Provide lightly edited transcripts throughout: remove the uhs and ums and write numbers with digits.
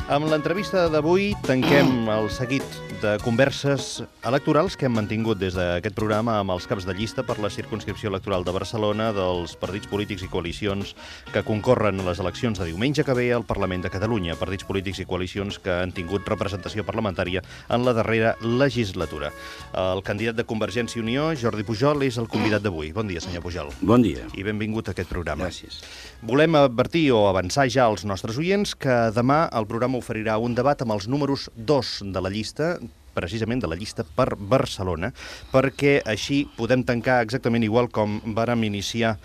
Amb l'entrevista d'avui tanquem el seguit de converses electorals que hem mantingut des d'aquest programa amb els caps de llista per la circumscripció electoral de Barcelona dels partits polítics i coalicions que concorren a les eleccions de diumenge que ve al Parlament de Catalunya, partits polítics i coalicions que han tingut representació parlamentària en la darrera legislatura. El candidat de Convergència i Unió, Jordi Pujol, és el convidat d'avui. Bon dia, senyor Pujol. Bon dia. I benvingut a aquest programa. Gràcies. Volem advertir o avançar ja als nostres oients que demà el programa oferirà un debat amb els números 2 de la llista, precisament de la llista per Barcelona, perquè així podem tancar exactament igual com vàrem iniciar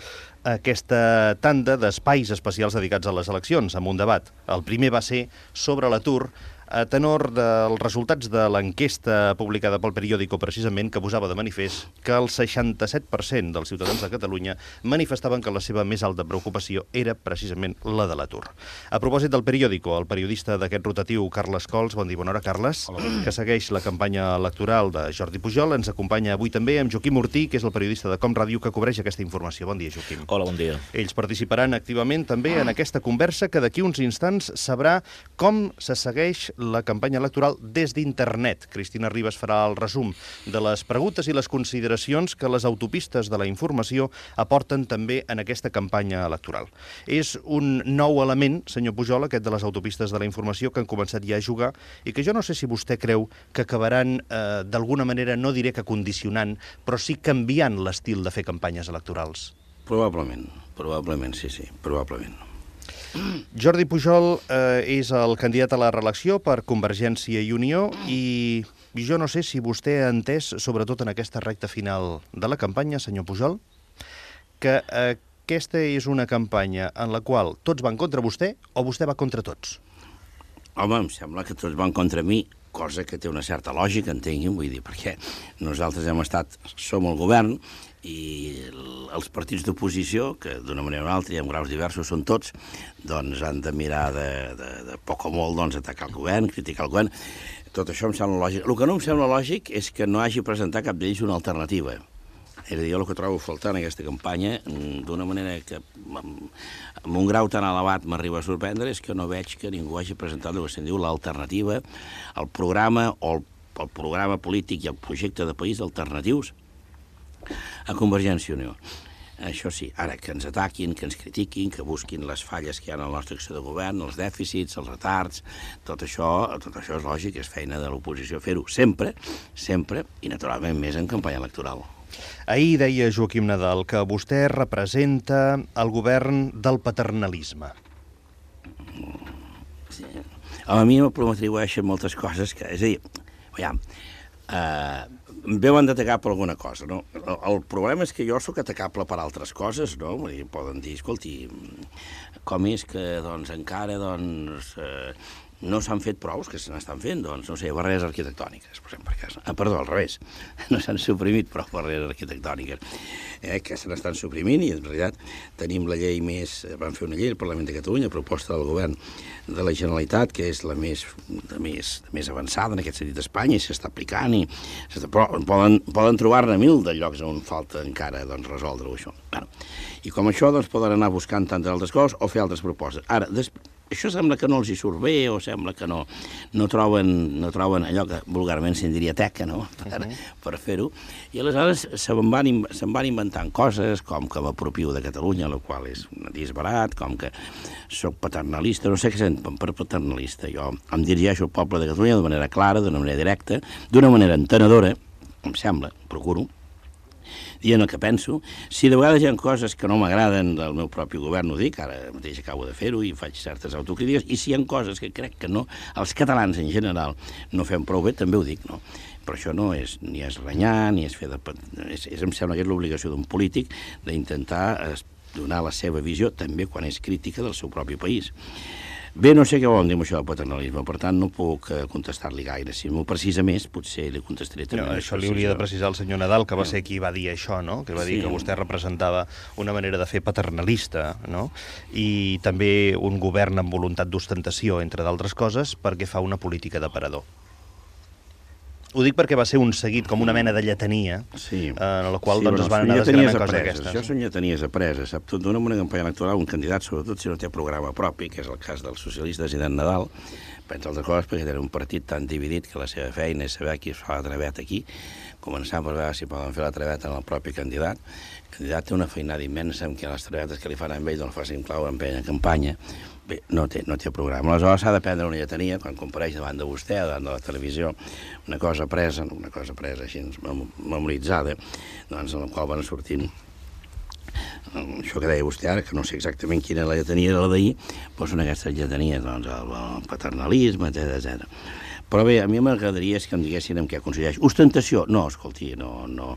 aquesta tanda d'espais especials dedicats a les eleccions, amb un debat. El primer va ser sobre l'atur, a tenor dels resultats de l'enquesta publicada pel periòdico, precisament, que posava de manifest que el 67% dels ciutadans de Catalunya manifestaven que la seva més alta preocupació era precisament la de l'atur. A propòsit del periòdico, el periodista d'aquest rotatiu, Carles Cols, bon dia, bona hora, Carles, que segueix la campanya electoral de Jordi Pujol, ens acompanya avui també amb Joaquim Ortí, que és el periodista de Com Ràdio, que cobreix aquesta informació. Bon dia, Joaquim. Hola, bon dia. Ells participaran activament també en aquesta conversa que d'aquí uns instants sabrà com se segueix la campanya electoral des d'internet. Cristina Ribas farà el resum de les preguntes i les consideracions que les autopistes de la informació aporten també en aquesta campanya electoral. És un nou element, senyor Pujol, aquest de les autopistes de la informació, que han començat ja a jugar i que jo no sé si vostè creu que acabaran d'alguna manera, no diré que condicionant, però sí canviant l'estil de fer campanyes electorals. Probablement, sí, probablement. Jordi Pujol és el candidat a la reelecció per Convergència i Unió i jo no sé si vostè ha entès, sobretot en aquesta recta final de la campanya, senyor Pujol, que aquesta és una campanya en la qual tots van contra vostè o vostè va contra tots? Home, em sembla que tots van contra mi, cosa que té una certa lògica, entenguin, vull dir, perquè nosaltres som el govern i els partits d'oposició, que d'una manera o una altra i en graus diversos són tots, doncs han de mirar de poc o molt doncs, atacar el govern, criticar el govern. Tot això em sembla lògic. El que no em sembla lògic és que no hagi presentat cap d'ells una alternativa. És a dir, jo el que trobo a faltar en aquesta campanya, d'una manera que amb un grau tan elevat m'arriba a sorprendre, és que no veig que ningú hagi presentat el que se'n diu l'alternativa, el programa o el programa polític i el projecte de país alternatius a Convergència i Unió. Això sí, ara que ens ataquin, que ens critiquin, que busquin les falles que hi ha en la nostra acció de govern, els dèficits, els retards, tot això és lògic, és feina de l'oposició fer-ho sempre, i naturalment més en campanya electoral. Ahir deia Joaquim Nadal que vostè representa el govern del paternalisme. Sí. A mi m'atribueixen moltes coses que... És a dir, veiem, em veuen d'atacar per alguna cosa, no? El problema és que jo sóc atacable per altres coses, no? Vull dir, poden dir, escolti, com és que doncs, encara no s'han fet prous, que se n'estan fent, doncs, no sé, barreres arquitectòniques, posem per cas. Perdó, al revés, no s'han suprimit prou barreres arquitectòniques, que se n'estan suprimint i, en realitat, tenim la llei vam fer una llei al Parlament de Catalunya, proposta del govern de la Generalitat, que és la més avançada en aquest sentit d'Espanya, i s'està aplicant, però poden trobar-ne 1000 de llocs on falta encara doncs, resoldre-ho, això. I com això, doncs, poden anar buscant tantes altres coses o fer altres propostes. Ara, això sembla que no els hi surt bé o sembla que no troben allò que vulgarment se'n diria teca, no?, per fer-ho. I aleshores se'n van inventant coses com que m'apropio de Catalunya, el qual és un disbarat, com que soc paternalista, no sé què senten per paternalista. Jo em dirigeixo al poble de Catalunya de manera clara, d'una manera directa, d'una manera entenedora, em sembla, procuro, dient el que penso. Si de vegades hi ha coses que no m'agraden del meu propi govern, ho dic, ara mateix acabo de fer-ho i faig certes autocrítiques, i si hi ha coses que crec que no, els catalans en general no fem prou bé, també ho dic, no? Però això no és ni és renyar, ni és fer de... Em sembla que és l'obligació d'un polític d'intentar donar la seva visió, també quan és crítica del seu propi país. Bé, no sé què volen dir amb això del paternalisme, per tant no puc contestar-li gaire. Si m'ho precisa més, potser li contestaré també. No, això li hauria de precisar el senyor Nadal, que va ser qui va dir això, no? Que va dir que vostè representava una manera de fer paternalista, no? I també un govern amb voluntat d'ostentació, entre d'altres coses, perquè fa una política d'aparador. Ho dic perquè va ser un seguit, com una mena de lletania, en la qual es van anar desgranant coses d'aquestes. Això són lletanies apreses. Sap, tu en una campanya electoral, un candidat, sobretot si no té programa propi, que és el cas dels socialistes i d'en Nadal, pensa altres coses perquè tenen un partit tan dividit que la seva feina és saber qui es fa la traveta aquí, començant per veure si poden fer la traveta en el propi candidat. El candidat té una feinada immensa amb que les travetes que li fan a ell no el facin clau en plena campanya. Bé, no té programa. Aleshores s'ha de prendre una lletania quan compareix davant de vostè o davant de la televisió, una cosa presa així memoritzada, doncs en la qual van sortint això que deia vostè ara, que no sé exactament quina la lletania era la d'ahir, doncs són aquestes lletanies, doncs el paternalisme, etc. Però bé, a mi m'agradaria que em diguessin en què consisteix. Ostentació? No, escolti, no.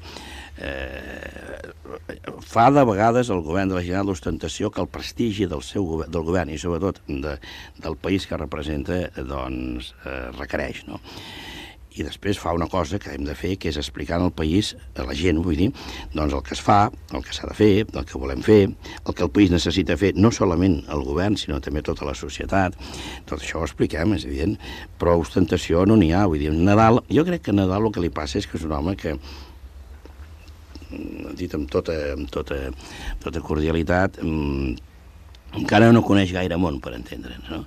Fa de vegades el govern de la Generalitat l'ostentació que el prestigi del govern i sobretot del país que representa doncs requereix, no? I després fa una cosa que hem de fer, que és explicar al país, a la gent, vull dir, doncs el que es fa, el que s'ha de fer, el que volem fer, el que el país necessita fer, no solament el govern, sinó també tota la societat. Tot això ho expliquem, és evident, però ostentació no n'hi ha, vull dir, Nadal, jo crec que a Nadal el que li passa és que és un home que, dit amb tota cordialitat, encara no coneix gaire món, per entendre'ns, no?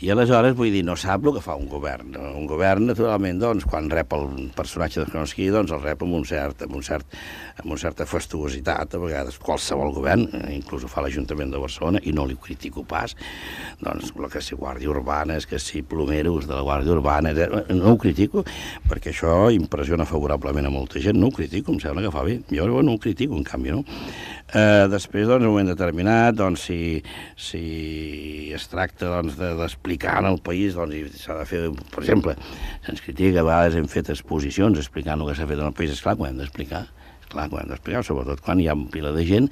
I aleshores, vull dir, no sap el que fa un govern. Un govern, naturalment, doncs, quan rep el personatge de Kronosky, doncs el rep amb una certa fastuositat, a vegades qualsevol govern, inclús ho fa l'Ajuntament de Barcelona, i no li critico pas, doncs, el que si guàrdia urbana, que si plomeros de la guàrdia urbana, no ho critico, perquè això impressiona favorablement a molta gent, no ho critico, em sembla que fa bé. Jo no ho critico, en canvi, no? Després, doncs, en un moment determinat, doncs, si es tracta d'explicar en el país, doncs, s'ha de fer, per exemple, se'ns critica que a vegades hem fet exposicions explicant el que s'ha fet en el país, esclar que ho hem d'explicar, sobretot quan hi ha un pila de gent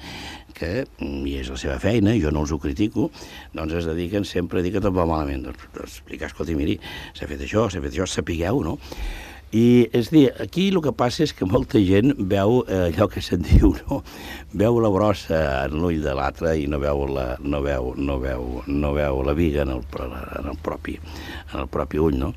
que, i és la seva feina, jo no els ho critico, doncs es dediquen sempre a dir que tot va malament, doncs explicar, escolti, miri, s'ha fet això, sapigueu, no? I, és a dir, aquí el que passa és que molta gent veu allò que se'n diu, no? Veu la brossa en l'ull de l'altre i no veu la viga en el propi ull, no?